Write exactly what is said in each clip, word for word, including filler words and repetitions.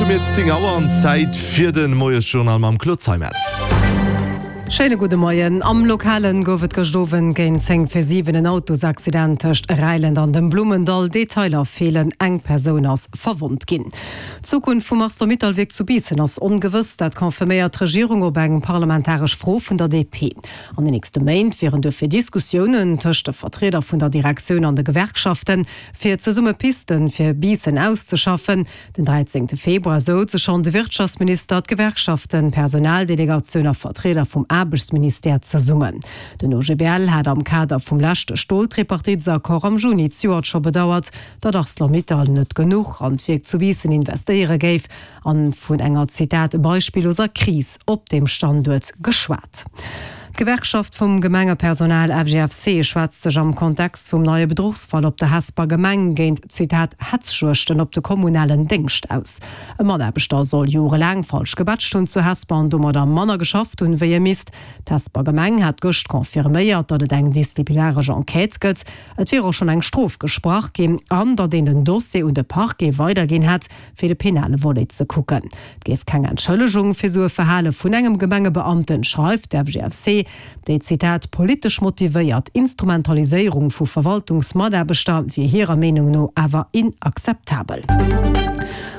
hu mir zéng Auer an Zäit fir de Moiesjournal mam Claude Zeimetz. Schéine gudde Moien. Am Lokalen gouf et gëscht Owend géint zéng vir siwen en Autosaccident tëscht Räilent an dem Blummendall. Detailer feelen, eng Persoun ass verwonnt ginn. D'Zukunft vum Arcelor-Mittal-Wierk zu Biissen ass ongewëss. Dat confirméiert d'Regierung op eng parlamentaresch Fro vun der D P. An den nächste Méint wieren duerfir Diskussiounen tëscht de Vertrieder vun der Direktioun an de Gewerkschaften, fir zesumme Pisten fir Biissen auszeschaffen. Den dräizéngte Februar souze schonn de Wirtschaftsminister, d'Gewerkschaften, d'Personaldelegatioun a Vertrieder vum Aarbechtsministère zesummen. Den O G B L hat am Kader vum leschte Stoltripartitesaccord am Juni zejoert scho bedauert, datt Arcelor-Mittal net genuch an d'Wierk zu Biissen investéiere géif an vun enger, Zitat, beispilloser Kris op deem Standuert geschwat. D'Gewerkschaft vum Gemengepersonal F G F C schwätzt sech am Kontext vum neie Bedruchsfall op der Hesper Gemeng géint, Zitat, Hetzjuegten op de kommunalen Déngscht aus. E Mataarbechter soll jorelaang falsch gebatcht hunn zu Hesper an domadder manner geschafft hunn, wéi e misst. D'Hesper Gemeng hat gëscht confirméiert, datt et eng disziplinaresch Enquête gëtt. Et wier och schonn eng Strof gesprach ginn an datt een den Dossier un de Parquet weiderginn hätt, fir de penale Volet ze kucken. Et géif keng Entschëllegung fir sou e Verhale vun engem Gemengebeamten, schreift d'F G F C. Déi, Zitat, politesch motivéiert Instrumentaliséierung vu Verwaltungsmataarbechter wier hirer Meenung no awer inakzeptabel.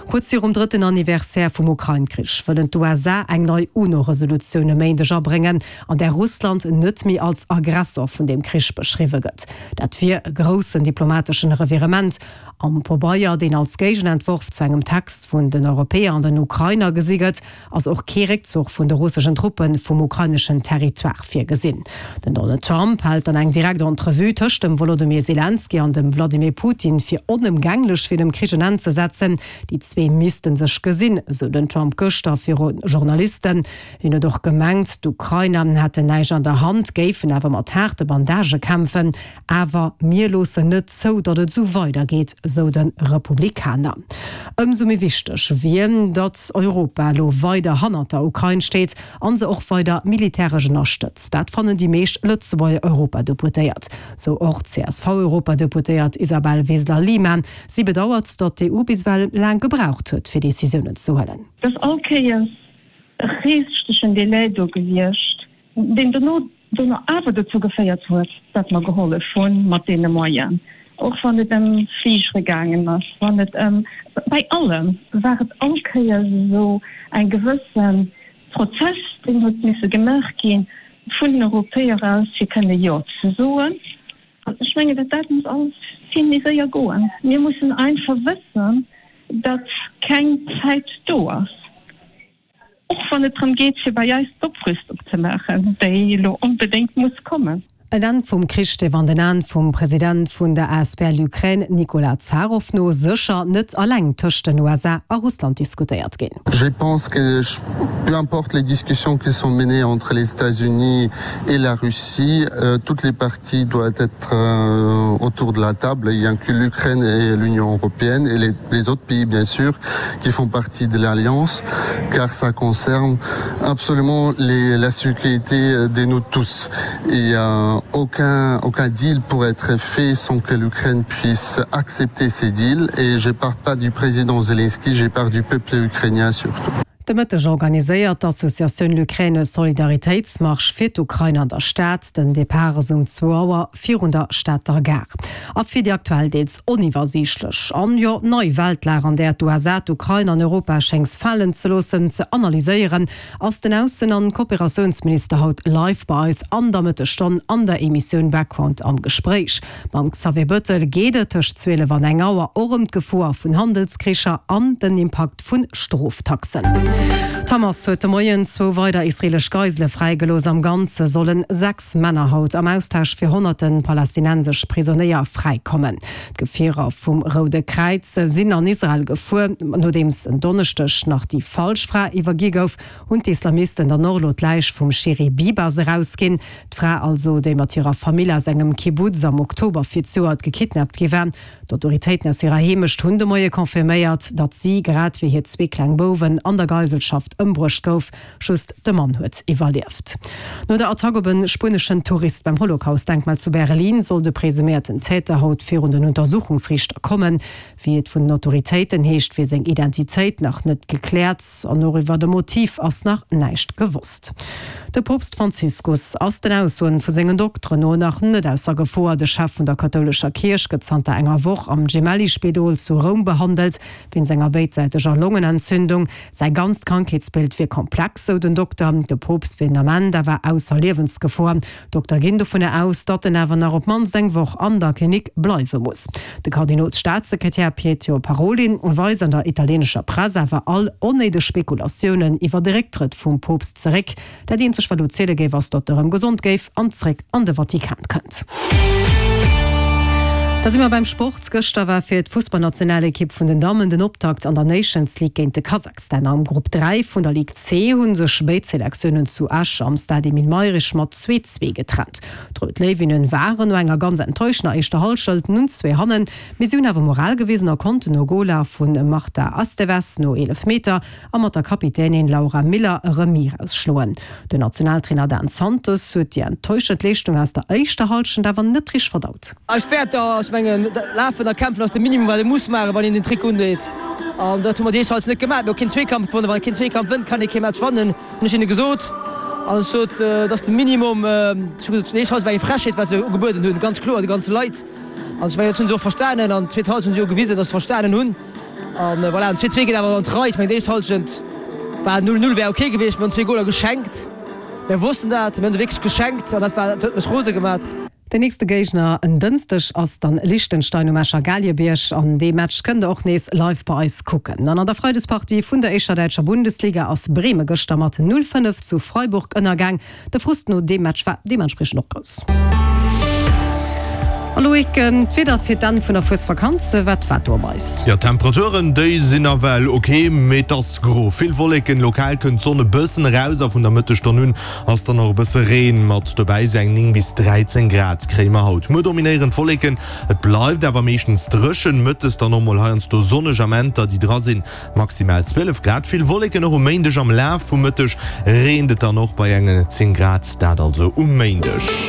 Kuerz virum drëtten Anniversaire vum Ukrain-Krich wëllen d'U S A eng nei UNO-Resolutioun e Méindeg abréngen, an där Russland net méi als Aggressor vun deem Krich beschriwwe gëtt. Dat wier e groussen diplomateschen Revirement. Am Pabeier, deen als Géigenentworf zu engem Text vun den Europäer an den Ukrainer gesi gëtt, ass och kee Réckzuch vun de russeschen Truppe vum ukraineschen Territoire virgesinn. Den Donald Trump hält dann eng direkt Entrevue tëscht dem Volodymyr Zelensky an dem Wladimir Putin fir onëmgänglech, fir dem Krich en Enn ze setzen. Déi zwee misste sech gesinn, sou den Trump gëschter viru Journalisten. Hien huet och gemengt, d'Ukrainer hätten näischt an der Hand, géifen awer mat haarde Bandagë kämpfen. Awer mir loossen net zou, datt et sou weidergeet, sou de Republikaner. Ëmsou méi wichteg wier, datt Europa lo weider hannert der Ukrain steet an se och weider militäresch ënnerstëtzt. Dat fannen déi meescht Lëtzebuerger Europadeputéiert. Sou och d'C S V-Europadeputéiert Isabel Wiseler-Lima. Si bedauert, datt d'E U bis ewell laang gebraucht huet, fir Decisiounen ze huelen. Et ass all Kéiers e richtegen Delai do gewiescht, deen dono dono awer dozou geféiert huet, datt mer gehollef hunn mat deene Moyenen. Och wann et ëm Fligere gaangen ass, wann et ëm bei allem war et all Kéiers sou eng gewësse Prozess, deen huet misse gemaach ginn vun den Europäer aus, fir kënne Jo ze soen. An ech mengen, dat dat muss alles vill méi séier goen. Mir mussen einfach wëssen, datt keng Zäit do ass. Och wann et drëm geet, fir bei eis d'Oprüstung ze maachen, déi elo onbedéngt muss kommen. En Enn vum Krich dierf an den Aen vum President vun der A S B L Ukraine Nicolas Zaroff no sécher net eleng tëscht den U S A a Russland diskutéiert ginn. Je pense que peu importe les discussions qui sont menées entre les États-Unis et la Russie, euh, toutes les parties doivent être euh, autour de la table, y inclut l'Ukraine et l'Union européenne et les, les autres pays bien sûr qui font partie de l'alliance, car ça concerne absolument les, la sécurité de nous tous. Et euh, aucun, aucun deal pourrait être fait sans que l'Ukraine puisse accepter ces deals. Et je parle pas du président Zelensky, je parle du peuple ukrainien surtout. De Mëtteg organiséiert d'Associatioun L'Ukraine e Solidaritéitsmarsch fir d'Ukrain an der Stad. Den Depart ass um zwou Auer virun der Stater Gare. A fir déi aktuell deels oniwwersiichtlech an jo nei Weltlag, an där d'U S A d'Ukrain an Europa schéngt falen ze loossen, ze analyséieren, ass den Aussen- an Kooperatiounsminister haut live bei eis an der Mëttesstonn an der Emissioun Background am Gespréich. Mam Xavier Bëttel geet et tëscht zwielef an eng Auer och ëm d'Gefor vun Handelskricher an den Impakt vun Stroftaxen. D'Hamas huet de Moien zwou weider israelesch Geisele fräigelooss. Am Ganze solle sechs Männer haut am Austausch fir honnerte palästinensesch Prisonéier fräikommen. D'Gefierer vum Roude Kräiz sinn an Israel gefuer, nodeems en Donneschdeg nach déi falsch Fra iwwergi gouf, hunn d'Islamisten dann och elo d'Läich vum Shiri Bibas erausginn. D'Fra also, déi mat hirer Famill aus engem Kibbuz am Oktober fir zejoert gekidnappt gi war. D'Autoritéiten aus hirer Heemecht hunn de Moie confirméiert, datt si grad wéi hir zwee kleng Bouwen an der Geiselschaft Holocaust ëmbruecht gouf. Just de Mann huet iwwerlieft. No der Attack op e spueneschen Tourist beim Holocaust-Denkmal zu Berlin soll de presuméierten Täter haut virun den Untersuchungsriichter kommen. Wéi et vun den Autoritéiten heescht, wier seng Identitéit nach net gekläert an och iwwer de Motiv ass nach näischt gewosst. De Poopst Franziskus ass den Aussoen vu sengen Dokteren no nach net ausser Gefor. De Chef vun der kathoulescher Kierch gëtt zanter enger Woch am Gemelli-Spidol zu Roum behandelt, wéinst enger béidsäiteger Longenentzündung. Säi ganzt Krankheetsbild wier komplex, sou den Dokter. De Poopst wier den Ament awer ausser Liewensgefor. D'Dokter ginn dovunner aus, datt en awer nach op d'mannst eng Woch an der Klinik bleiwe muss. De Kardinolsstaatssekretär Pietro Parolin weist an der italieenescher Press awer all onnéideg Spekulatiounen iwwer de Récktrëtt vum Poopst zeréck. Dat eenzegt wat elo ziele géif ass, datt e rëm gesond géif an zeréck an de Vatikan kënnt. Da si mer beim Sport. Gëschter war fir d'Fussballnationalekipp vun den Dammen den Optakt an der Nations League géint de Kasachstan. Am Grupp dräi vun der Ligue C hu sech béid Selektiounen zu Esch am Stade Emile Mayrisch mat zwee, zwee getrennt. D'Rout Léiwinnen waren no enger ganz enttäuschender éischter Hallschent nun zwee hannen, mee si hunn awer Moral gewisen a konnten no Goler vu Marta Esteves no eelef Meter a mat der Kapitänin Laura Miller e Remis erausschloen. Den Nationaltrainer Dan Santos huet déi enttäuschend Leeschtung aus der éischter Hallschent awer net richteg verdaut. Eis Wäerter, ech mengen, lafen a kämpfen ass de Minimum wat ee muss maachen, wann een den Trikot undeet. An dat hu mer déi éischt Halschent net gemaach. Mir hu keen Zweekampf gewonnen. Wann ee keen Zweekampf wënnt, kann ee kee Match wannen, hunn ech hinne gesot. An ech sot, et ass de Minimum. Ech hu gesot, déi éischt Halschent war eng Frechheet, wat se ugebueden hunn, ganz kloer de ganze Leit. An ech mengen, dat hu se och verstanen. An d'zweet Halschent hu se jo gewisen, datt se verstanen hunn. An voilà, an zwee zwee geet awer an d'Rei. Ech mengen, déi éischt Halschent war null null wär ok gewiescht. Mir hunn zwee Goler geschenkt. Mir wossten dat. Mir hunn se wierklech geschenkt an dat war, dat huet mech rose gemat. Den nächste Géigner en Dënschdeg ass dann Liechtenstein um Escher Galiebierg an dee Match kënnt der och nees live bei eis kucken. An an der Freidespartie vun der éischter däitscher Bundesliga ass Breme gëschter mat null fënnef zu Freiburg ënnergaang. De Frust no deem Match war deementspriechend och grouss. A Loïc, d'Wieder fir d'Enn vun der Fuesvakanz, wat waart do op eis? Jo, d'Temperaturen, déi sinn nawell ok, mee et ass gro. Vill Wolleken, lokal kënnt d'Sonn e bëssen eraus a vun der Mëttesstonn un ass dann och e bësse Reen mat dobäi. Sou eng néng bis dräizéng Grad kréie mer haut. Muer dominéieren d'Wolleken, et bleift awer meeschtens dréchen, mëttes dann och mol heiansdo sonneg Amenter, déi dra sinn, maximal zwielef Grad. Vill Wolleken och um Méindeg, am Laf vum Mëtteg reent et dann och bei engen zéng Grad, dat also um Méindeg.